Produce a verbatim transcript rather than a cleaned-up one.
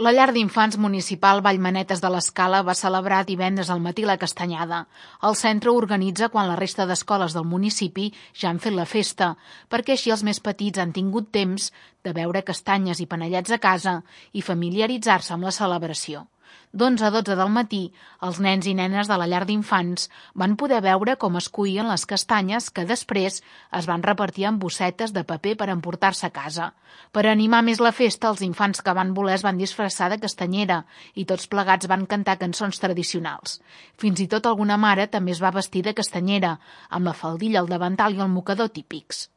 La llar d'infants municipal Vallmanetes de l'Escala va celebrar divendres al matí la castanyada. El centre organitza quan la resta d'escoles del municipi ja han fet la festa, perquè així els més petits han tingut temps de beure castanyes i panellets a casa i familiaritzar-se amb la celebració. D'onze a dotze del matí, els nens i nenes de la llar d'infants van poder veure com es cuïen les castanyes que després es van repartir en bossetes de paper per emportar-se a casa. Per animar més la festa, els infants que van voler es van disfressar de castanyera i tots plegats van cantar cançons tradicionals. Fins i tot alguna mare també es va vestir de castanyera, amb la faldilla, el davantal i el mocador típics.